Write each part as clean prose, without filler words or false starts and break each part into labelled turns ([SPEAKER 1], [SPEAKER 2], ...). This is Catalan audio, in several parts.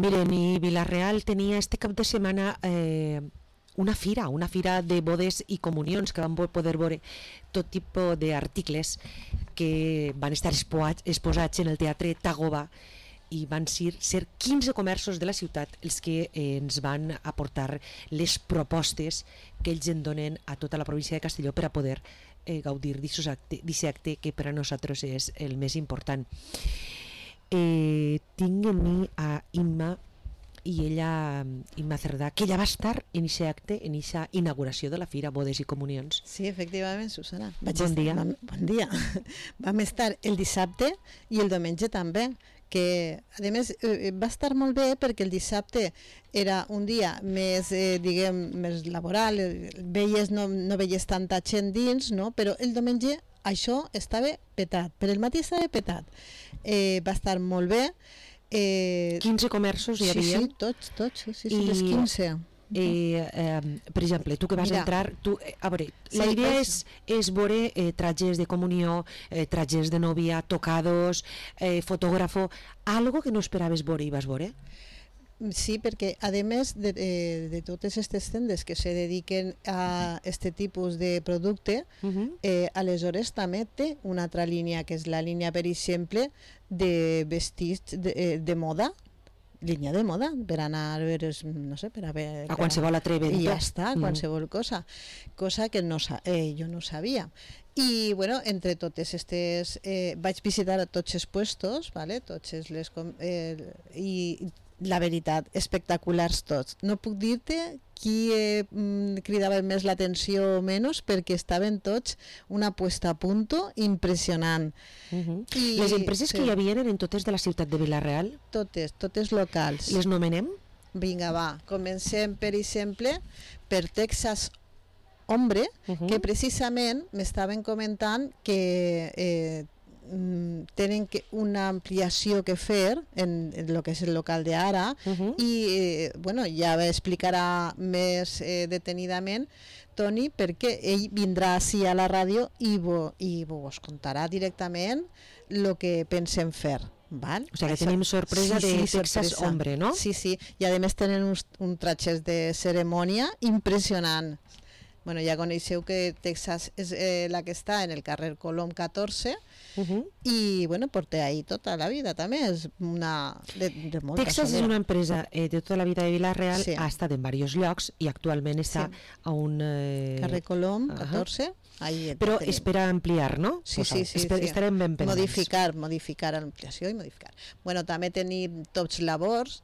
[SPEAKER 1] Miren, i Vila-real tenia este cap de setmana una fira de bodes i comunions que van poder veure tot tipus d'articles que van estar exposats en el Teatre Tagoba i van ser 15 comerços de la ciutat els que ens van aportar les propostes que ells en donen a tota la província de Castelló per a poder gaudir d'aquest acte que per a nosaltres és el més important. Tinc en mi a Imma i ella, Imma Cerdà, que ella va estar en aquest acte, en aquesta inauguració de la Fira Bodes i Comunions.
[SPEAKER 2] Sí, efectivament, Susana.
[SPEAKER 1] Bon dia.
[SPEAKER 2] Bon dia. Vam estar el dissabte i el diumenge també, que a més va estar molt bé perquè el dissabte era un dia més, més laboral, no veies tanta gent dins, no? Però el diumenge això estava petat, per el matí estava petat. Va estar molt bé.
[SPEAKER 1] 15 comerços hi havia?
[SPEAKER 2] Sí, les 15.
[SPEAKER 1] Per exemple, tu que vas entrar, a veure, la idea és veure trajes de comunió, trajes de novia, tocados, fotògrafo, algo que no esperaves veure i vas veure?
[SPEAKER 2] Sí, perquè a més de totes aquestes tendes que se dediquen a aquest tipus de producte, aleshores també té una altra línia, que és la línia, per exemple, de vestits de moda, línia de moda, per anar a veure, no sé, per a veure...
[SPEAKER 1] A qualsevol altre evento.
[SPEAKER 2] I ja està, qualsevol cosa que jo no sabia. I, bueno, entre totes aquestes... vaig visitar tots els puestos, ¿vale? Tots les... i la veritat, espectaculars tots. No puc dir-te qui cridava més l'atenció o menys, perquè estaven tots una puesta a punto impressionant.
[SPEAKER 1] Les empreses que hi havia eren totes de la ciutat de Vila-real?
[SPEAKER 2] Totes locals.
[SPEAKER 1] Les nomenem?
[SPEAKER 2] Vinga, va. Comencem, per exemple, per Texas Hombre, que precisament m'estaven comentant que tenen una ampliació que fer en el que és el local d'ara i bueno, ja explicarà més detenidament Toni, perquè ell vindrà així a la ràdio i vos contarà directament el que pensem fer. Val?
[SPEAKER 1] O sigui que tenim sorpresa de Texas Hombre, no?
[SPEAKER 2] Sí, i a més tenen uns tratges de cerimònia impressionant. Bueno, ja coneixeu que Texas és la que està en el carrer Colom 14 i bueno, porta ahí tota la vida també, és una de molta
[SPEAKER 1] Texas
[SPEAKER 2] solera.
[SPEAKER 1] És una empresa de tota la vida de Vila-real, ha estat en diversos llocs i actualment està a un...
[SPEAKER 2] carrer Colom 14.
[SPEAKER 1] Però espera ampliar, no?
[SPEAKER 2] Sí.
[SPEAKER 1] Estarem ben pendents.
[SPEAKER 2] Modificar l'ampliació i modificar. Bueno, també tenim Tots Labors,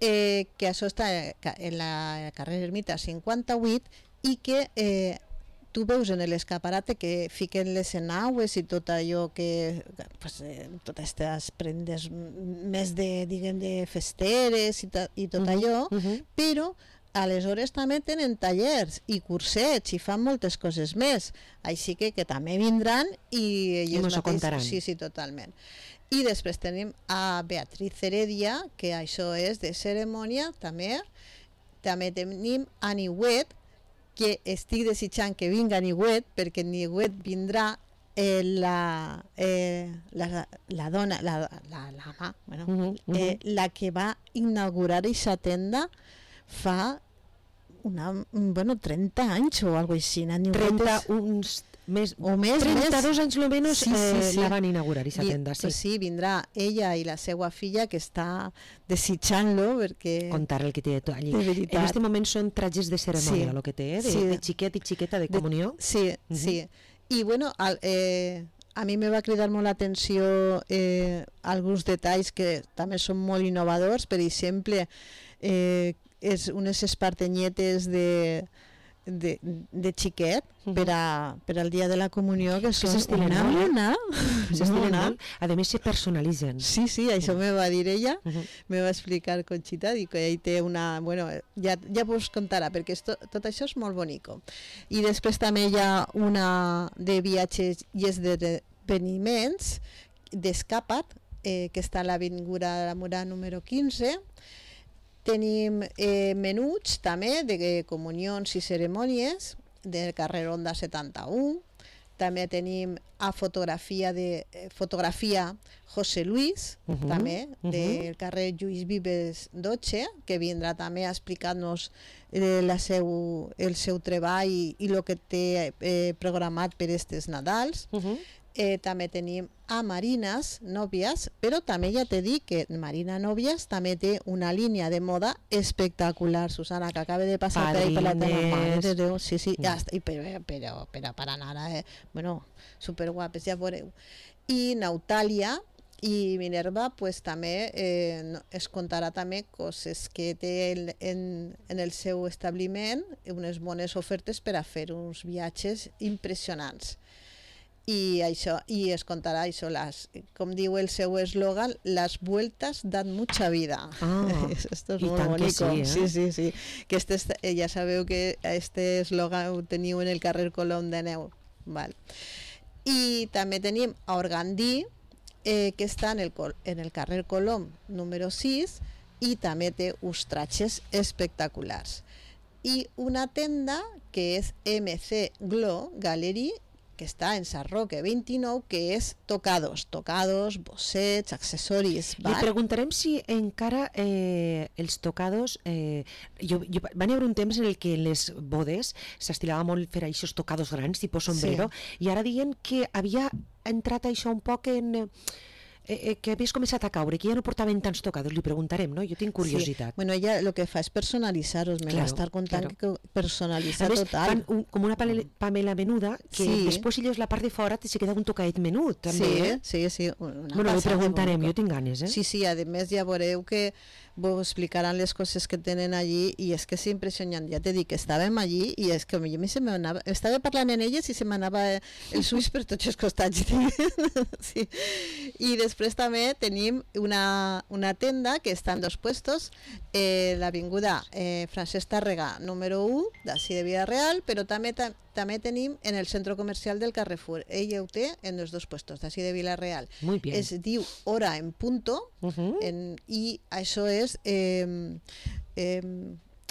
[SPEAKER 2] que això està en la carrer Ermita 58 i que tu veus en l'escaparate que fiquen les enaues i tot allò que totes aquestes prendes més de festeres i tot allò, però aleshores també tenen tallers i cursets i fan moltes coses més, així que també vindran i
[SPEAKER 1] ens ho contaran.
[SPEAKER 2] Sí, totalment. I després tenim a Beatriz Heredia, que això és de cerimònia també tenim a Niuet, que estic desitjant que vinga Niuet, perquè Niuet vindrà la dona, la que va inaugurar aquesta tenda fa 30 anys o alguna cosa així.
[SPEAKER 1] 32 anys o menys la van inaugurar aquesta tenda.
[SPEAKER 2] Sí, vindrà ella i la seva filla, que està desitjant-lo perquè...
[SPEAKER 1] Contar el que té allí. En aquest moment són trajes de cerimònia, el que té, de xiquet i xiqueta de comunió.
[SPEAKER 2] Sí. I bueno, a mi me va cridar molt l'atenció alguns detalls que també són molt innovadors. Per exemple, és unes espartenyetes de xiquet per al dia de la comunió, que són una mona.
[SPEAKER 1] A més se personalitzen.
[SPEAKER 2] Sí, això me va dir ella, me va explicar Conxita, i que ell té una... Bueno, ja vos contarà, perquè tot això és molt bonico. I després també hi ha una de viatges i esdeveniments d'Escapat, que està a l'avinguda de la Mura número 15. Tenim menuts també de comunions i cerimònies del carrer Onda 71. també tenim a fotografia José Luis, també, del carrer Lluís Vives 12, que vindrà també a explicar-nos el seu treball i el que té programat per estes Nadals. També tenim a Marinas Nòvies, però també ja t'he dit que Marina Nòvies també té una línia de moda espectacular, Susana, que acaba de passar per ahí per la teva mare de Déu. Sí, ja està, però per anar, bueno, superguapes, ja veureu. I Nautàlia i Minerva pues, també es contarà també coses que té en el seu establiment, unes bones ofertes per a fer uns viatges impressionants. I es contarà això, com diu el seu eslògan, las vueltas dan mucha vida. Esto es molt bonico. Sí. Que ja sabeu que este eslògan ho teniu en el carrer Colom de Neu. Val. I també tenim a Organdí, que està en el carrer Colom número 6 i també té uns tratges espectaculars. I una tenda que és MC Glow Gallery, que està en Sant Roque 29, que és tocados, bossets, accessoris.
[SPEAKER 1] Li preguntarem si encara els tocados... Van haver un temps en el que en les bodes s'estilava molt fer aquests tocados grans, tipus sombrero, i ara diuen que havia entrat això un poc en... que havies començat a caure, que ja no portaven tants tocados, li preguntarem, no? Jo tinc curiositat.
[SPEAKER 2] Bueno, ella el que fa és personalitzar-los, me va estar contant que personalitza total.
[SPEAKER 1] Fan com una pamela menuda, que després si lleus la part de fora se queda un tocadet menut, també.
[SPEAKER 2] Sí.
[SPEAKER 1] Bueno, li preguntarem, jo tinc ganes, eh?
[SPEAKER 2] Sí, a més ja veureu que vos explicaran les coses que tenen allí i és que és impressionant. Ja t'he dit que estàvem allí i és que a mi se m'anava... Estava parlant en elles i se m'anava els ulls per tots els costats. Sí. I després també tenim una tenda que està en dos puestos, l'avinguda Francesc Tàrrega número 1 d'ací de Vila Real, però també tenim en el centre comercial del Carrefour. Ella ho té en els dos puestos d'ací de Vila Real. Es diu Hora en Punto i això és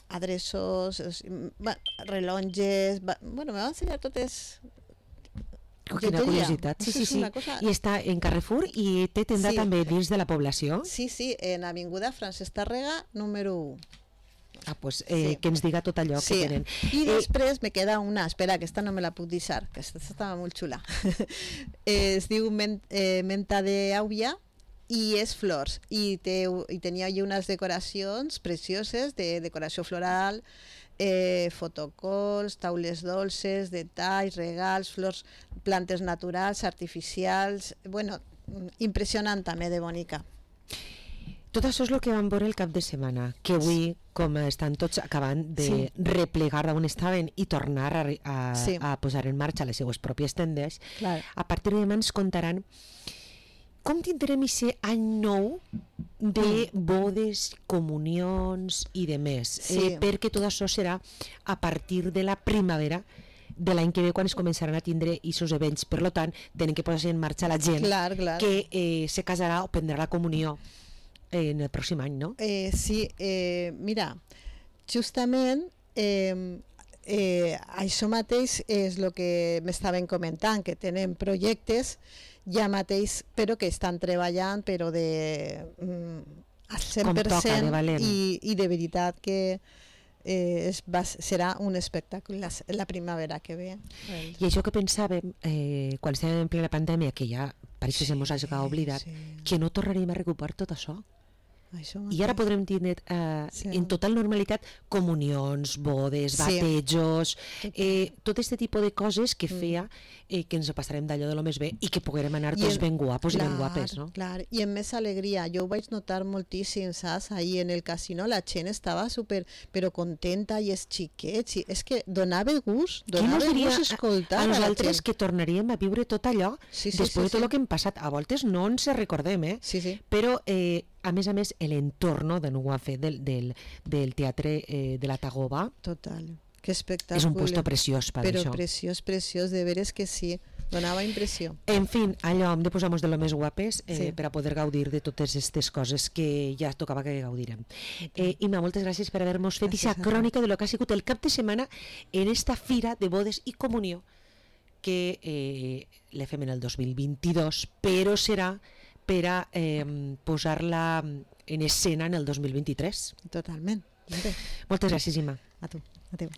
[SPEAKER 2] adreços, rellotges, bueno, me va ensenyar totes...
[SPEAKER 1] Quina curiositat, sí. I està en Carrefour i té tenda també dins de la població?
[SPEAKER 2] Sí, en Avinguda Francesc Tàrrega número 1.
[SPEAKER 1] Pues que ens diga tot allò que tenen.
[SPEAKER 2] I després me queda una, espera, que esta no me la puc deixar, que esta estava molt xula. Es diu Menta d'Àubia i és flors, i tenia allí unes decoracions precioses de decoració floral, fotocols, taules dolces, detalls, regals, flors, plantes naturals, artificials, bueno, impressionant també de bonica.
[SPEAKER 1] Tot això és el que vam veure el cap de setmana, que avui, com estan tots acabant de replegar d'on estaven i tornar a posar en marxa les seues pròpies tendes, a partir de demà ens contaran com tindrem aquest any nou de bodes, comunions i de més, perquè tot això serà a partir de la primavera de l'any que ve, quan es començaran a tindre aquests events. Per tant, tenen que posar en marxa la gent que se casarà o prendrà la comunió en el pròxim any, no?
[SPEAKER 2] Mira, justament això mateix és el que m'estaven comentant, que tenen projectes ja mateix, però que estan treballant però al 100% i de veritat que serà un espectacle la primavera que ve.
[SPEAKER 1] I això que pensàvem quan estàvem en plena pandèmia, que ja pareix que se mos hagi oblidat, que no tornaríem a recuperar tot això. I ara podrem tindre en total normalitat comunions, bodes, batejos, tot aquest tipus de coses que feia que ens ho passarem d'allò de lo més bé i que poguérem anar tots ben guapos i ben guapes, no?
[SPEAKER 2] Clar, i amb més alegria. Jo ho vaig notar moltíssim, saps? Ahir en el casino la gent estava però contenta i els xiquets, és que donava gust escoltar
[SPEAKER 1] a nosaltres que tornaríem a viure tot allò després de tot el que hem passat. A voltes no ens recordem, però a més, l'entorn de nou a fer del teatre de la Tagoba.
[SPEAKER 2] Total, que espectacle.
[SPEAKER 1] És un puesto preciós per
[SPEAKER 2] això.
[SPEAKER 1] Però
[SPEAKER 2] preciós, de veres que sí, donava impressió.
[SPEAKER 1] En fi, allò hem de posar-nos de lo més guapes per a poder gaudir de totes aquestes coses que ja tocava que gaudirem. Imma, moltes gràcies per haver-nos fet aquesta crònica de lo que ha sigut el cap de setmana en esta fira de bodes i comunió que la fem en el 2022, però serà per a posar-la en escena en el 2023.
[SPEAKER 2] Totalment.
[SPEAKER 1] Moltes gràcies, Imma.
[SPEAKER 2] A tu. Adéu.